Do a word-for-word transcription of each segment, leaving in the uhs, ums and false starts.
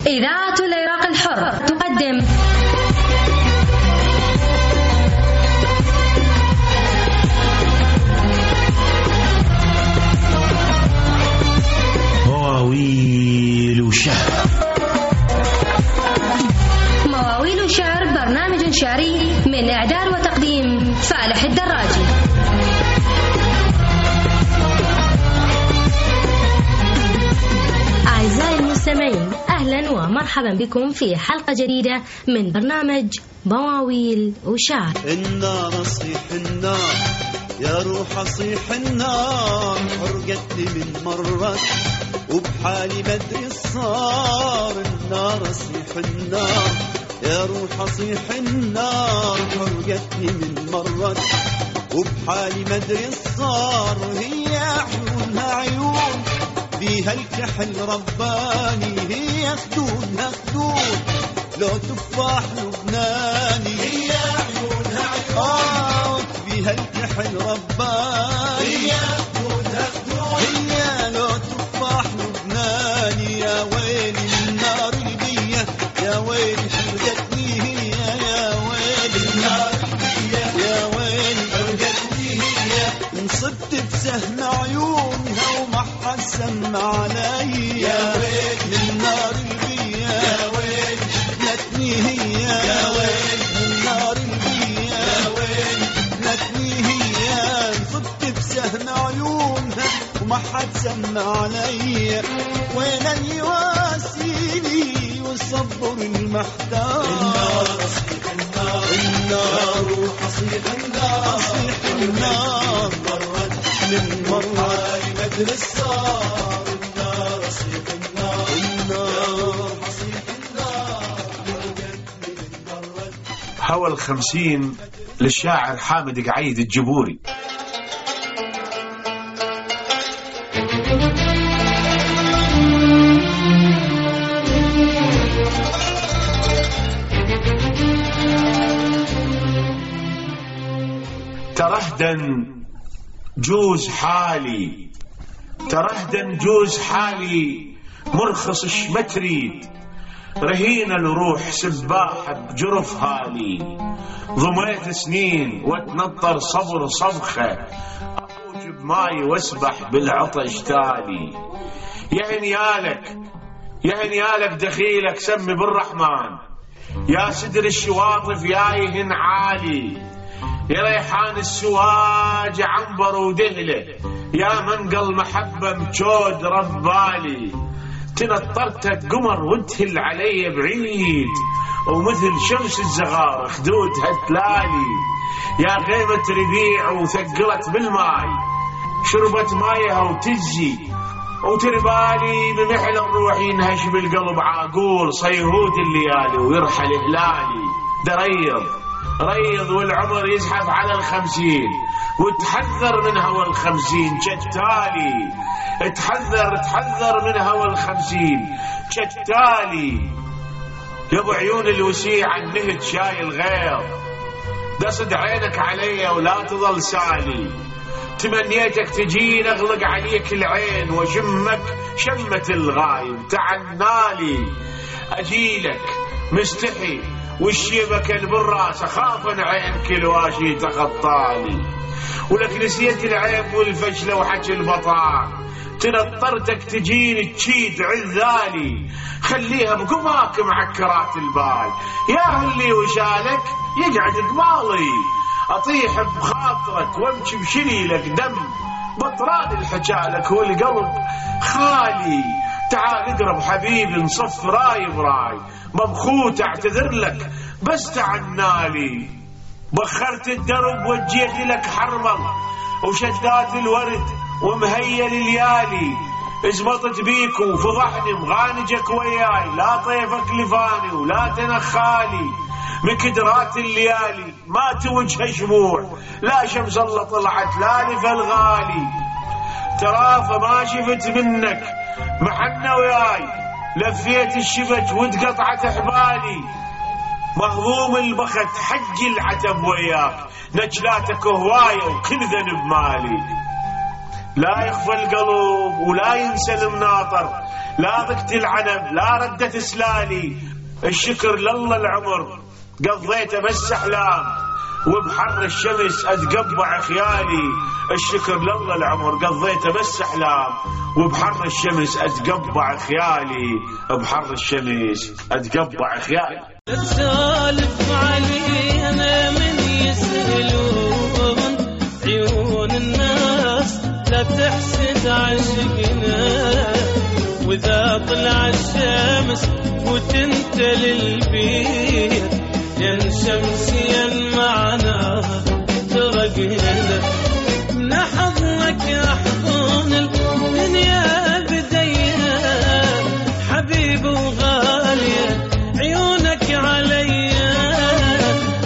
إذاعة العراق الحر تقدم مواويل وشعر. مواويل وشعر برنامج شعري من إعداد وتقديم فالح الدراجي. أعزائي المستمعين، أهلا ومرحبا بكم في حلقة جديدة من برنامج مواويل وشعر. النار صيح النار يا روح صيح النار، حرقتني من مرات وبحالي مدري الصار. النار صيح النار يا روح صيح النار، حرقتني من مرات وبحالي مدري الصار. هي عيونها عيون بيها الكحل رباني، هي خدودها خدود لو تفاح لبناني. هي عيونها عيون بيها الكحل رباني، هي خدودها خدود هي لو تفاح لبناني. يا ويلي النار البية، يا ويلي حرقتني هي، يا ويلي النار البية، يا ويلي حرقتني هي. انصبت بسهم عيونها وما حد سمع علي، يا ويلي النار البية، يا ويلي حرقتني هي، يا ويلي النار البية، يا ويلي حرقتني هي. انصبت بسهم عيونها وما حد سمع علي، وين اللي يواسيني والصبر المحتار. النار صيح النار، النار حصيح النار، صيح النار مرت من مرة مدري الصار. النار صيح النار، النار حصيح النار مرت من مرة. هوى الخمسين للشاعر حامد قعيد الجبوري. ترهدن جوز حالي، ترهدن جوز حالي مرخص شمتريد، رهينة الروح سباحة بجرف هالي. ضميت سنين واتنطر صبر صبخة، أفوج بماي واسبح بالعطش تالي. يا هنيالك يا هنيالك دخيلك سمي بالرحمن، يا سدر الشواطف يايهن عالي. يا ريحان السواج عنبر ودهله، يا منقل محبة مجود ربالي. تنطرتك قمر وتهل علي بعيد، ومثل شمس الزغار خدودها تلالي. يا غيمة ربيع وثقلت بالماي، شربت مايها وتجي وتربالي. بمحل الروح ينهش بالقلب عاقول، صيهود الليالي ويرحل هلالي. دريض ريض والعمر يزحف على الخمسين، وتحذر من هوى الخمسين شتالي. تحذر تحذر من هوى الخمسين شتالي. يا ابو عيون الوسيع النهد شايل غير، دصد عينك علي ولا تظل سالي. تمنيتك تجين اغلق عليك العين، وشمك شمة الغايب تعنالي. اجيلك مستحي والشيبك بالراس، اخاف عينك الواشي تخطالي. ولك نسيت العيب والفشله وحكي البطال، تنطرتك تجيني تشيد عذالي. خليها بقماك معكرات البال، يا اللي وشالك يقعد قمالي. اطيح بخاطرك وامشي بشليلك دم، بطران الحجالك والقلب خالي. تعال اقرب حبيبي نصف راي براي، مبخوت اعتذر لك بس تعنالي. بخرت الدرب وجيت لك حرمل، وشدات الورد ومهيل الليالي. ازبطت بيك وفضحني مغانجك وياي، لا طيفك لفاني ولا تنخالي. مكدرات الليالي ما توجه شموع، لا شمس الله طلعت لا لف الغالي. ترافة ما شفت منك محنة وياي، لفيت الشبك واتقطعت حبالي. مهضوم البخت حج العتب وياك، نجلاتك هواية وكل ذنب مالي. لا يخفى القلب ولا ينسى المناطر، لا ضقت العنب لا ردت سلالي. الشكر لله العمر قضيته بس احلام، وبحر الشمس اتقبع خيالي. الشكر لله العمر قضيته بس احلام، وبحر الشمس اتقبع خيالي. بحر الشمس اتقبع خيالي. تسالف علينا من يسألون عيون الناس، لا تحسد عشقنا. واذا طلع الشمس وتنت للبيت، ين شمسيا معنا ترقنا. من حضنك احضن الدنيا بدينا، حبيب وغالية عيونك عليا.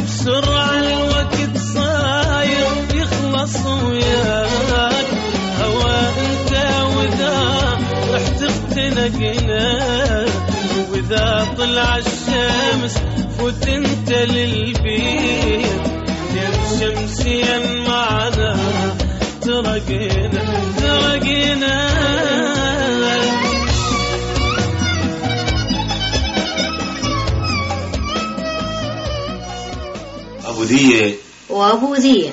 بسرعة الوقت صاير يخلص وياك، هوا انت واذا رحت اختنقنا. واذا طلع الشمس فوت انت للبيت، ين شمسيا معنا ترقنا ترقنا. ابو ذيه وابو ذيه.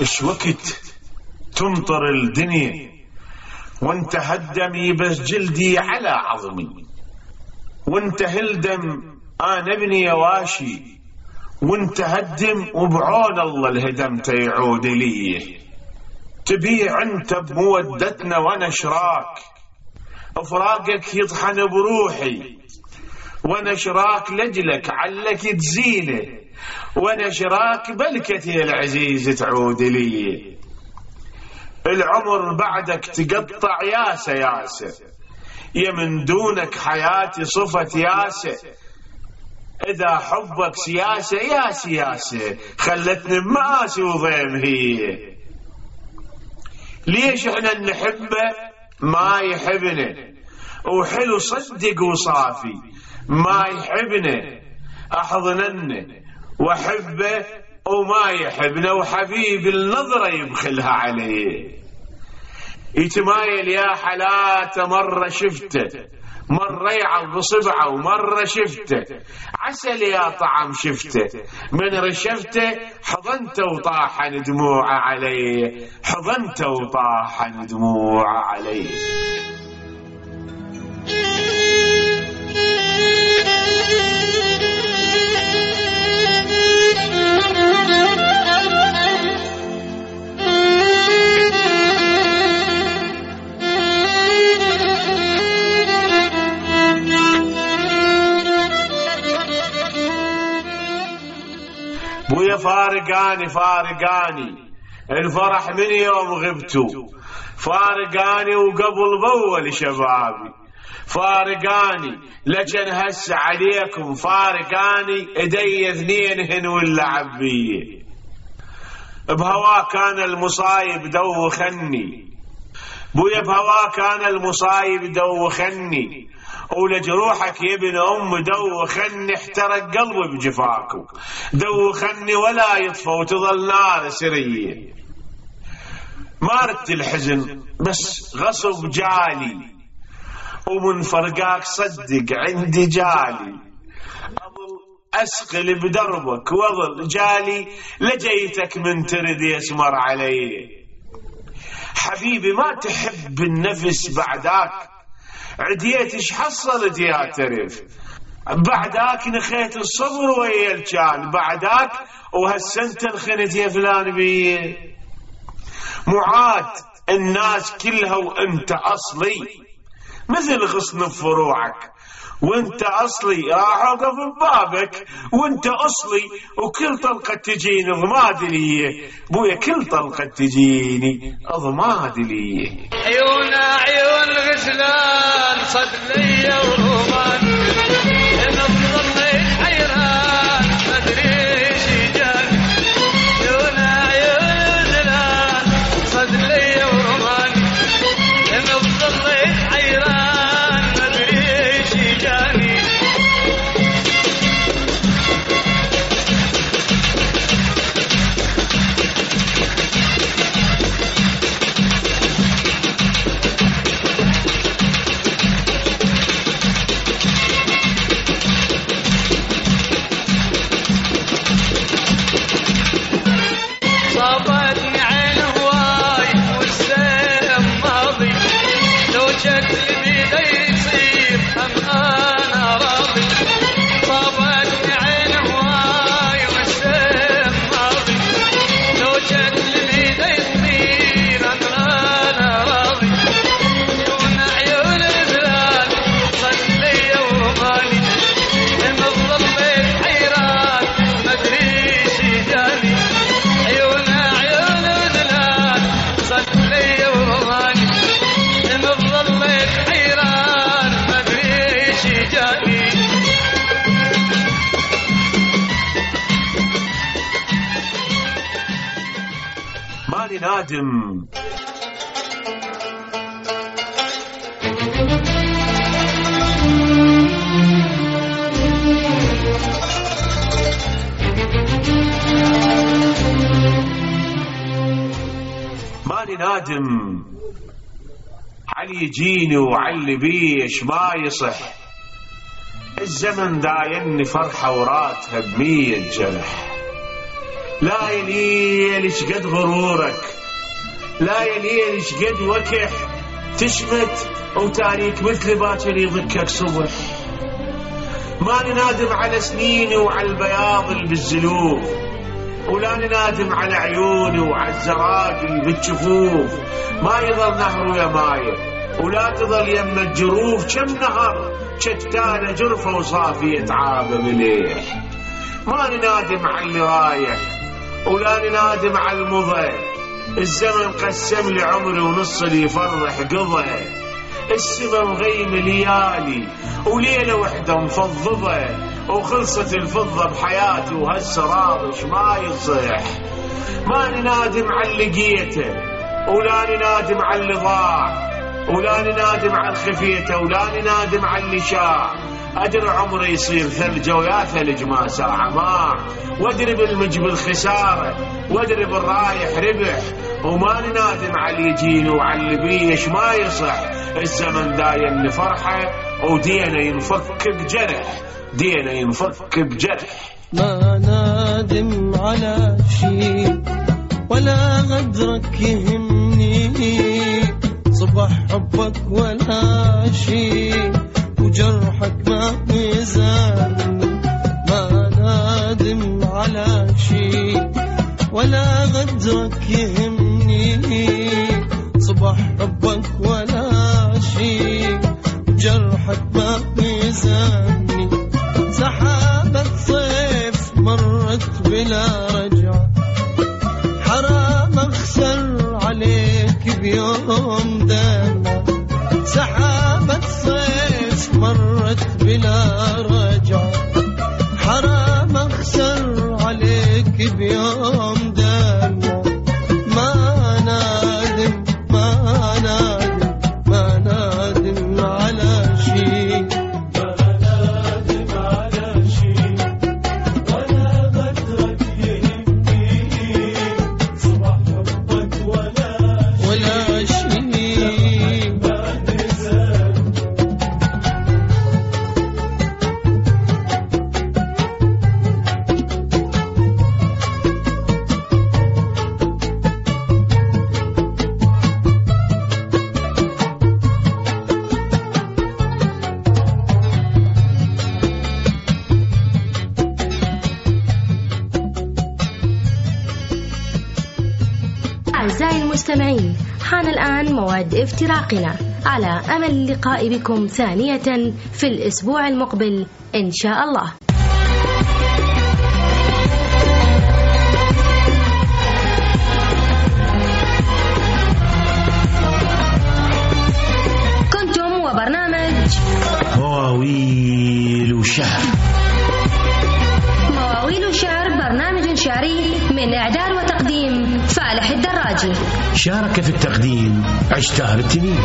ايش وقت تمطر الدنيا وانت هالدم بس جلدي على عظمي، وانت هالدم انا ابني يواشي، وانت هالدم وبعون الله الهدم يعود لي. تبيع انت بمودتنا وانا شراك، افراقك يطحن بروحي، وانا شراك لجلك علك تزينه، وانا شراك بلكتي العزيز تعود لي. العمر بعدك تقطع ياسه ياسه، يا من دونك حياتي صفت ياسه. اذا حبك سياسه يا سياسه، خلتني بمآسي وضيم هي. ليش احنا نحبه ما يحبنا، وحلو صدق وصافي ما يحبنا. احضننا واحبه وما يحبنا، وحبيب النظرة يبخلها عليه. يتمايل يا حلاته مرة شفته، مرة يعض بصبعه ومرة شفته. عسل يا طعم شفته، من رشفته حضنته وطاحن دموعه عليه، حضنته وطاحن دموعه عليه. بويا فارقاني فارقاني الفرح من يوم غبتوا، فارقاني وقبل بول شبابي، فارقاني لجن هس عليكم، فارقاني ايدي اثنينهن واللعب بيه. بهوا كان المصايب دوخني بويا، بهوا كان المصايب دوخني، ولجروحك يا ابن ام دوخني. احترق قلبي بجفاكم دوخني، ولا يطفى وتظل نار سريه. مارت الحزن بس غصب جالي، ومن فرقاك صدق عندي جالي. اظل اسقل بدربك واظل جالي، لجيتك من ترد يسمر علي. حبيبي ما تحب النفس بعداك، عديت ايش حصلت يا ترف. بعداك نخيت الصبر ويا الجان، بعداك وهالسنت انخنت يا فلان بيه. معاد الناس كلها وانت اصلي، مثل غصن بفروعك وانت اصلي. راح اوقف ببابك وانت اصلي، وكل طلقه تجيني ضماد لي بويا، كل طلقه تجيني ضماد لي. عيونا عيون غسلان صد لي ورومان، انا ظليت حيران ما ادري ايش جاني. عيونا عيون غسلان صد لي ولائي ماني نادم ماني نادم علي يجيني وعلي بيش ما يصح. الزمن دايني فرحة وراتها بمية جرح. لا يا ليل شقد غرورك، لا يا ليل شقد وكح تشمت وتاريك مثل باكر يضكك صبح. ماني نادم على سنيني وعلى البياض اللي بالزلوف، ولا نادم على عيوني وعلى الزراقل بالجفوف. ما يظل نهر يا مايه ولا تظل يم الجروف، كم نهر شتانة جرفة وصافية عابة مليح. ماني نادم على اللي رايح ولا نادم على المضي. الزمن قسم لي عمري ونص اللي يفرح قضى. السما مغيم ليالي وليلة وحدة مفضضة، وخلصت الفضة بحياتي وهسه راضش ما يصح. ماني نادم على اللي لقيته ولا نادم على اللي ضاع، ولا نادم على الخفيته ولا نادم على اللي شاع. أدري عمري يصير ثلجة ويا ثلج ما ساعة ماع، وأدري بالمج بالخسارة وأدري بالرايح ربح. وما نادم على اللي يجيني وعلى اللي بيش ما يصح. الزمن داين فرحة ودينا ينفك بجرح، دينا ينفك بجرح. ما نادم على شي ولا غدرك يهمني، صبح حبك ولا شي وجرحك ما ميزان. ما نادم على شي ولا غدرك يهمني، صبح حبك ولا شي وجرحك ما ميزاني. سحابة صيف مرت بلا رجعة، حرام اخسر عليك بيوم دمع. سحابة صيف مرت بلا رجعة، حرام اخسر عليك بيوم دمع. ما نادم ما نادم ما نادم على شي، ما نادم على شي ولا غدرك يهمني، صبح حبك ولا ولا شي. أعزائي المستمعين، حان الآن موعد افتراقنا، على أمل اللقاء بكم ثانية في الأسبوع المقبل إن شاء الله. كنتم وبرنامج مواويل وشعر. مواويل وشعر برنامج شعري من إعداد وتقديم فالح الدراجي. شارك في التقديم عشتار التنين.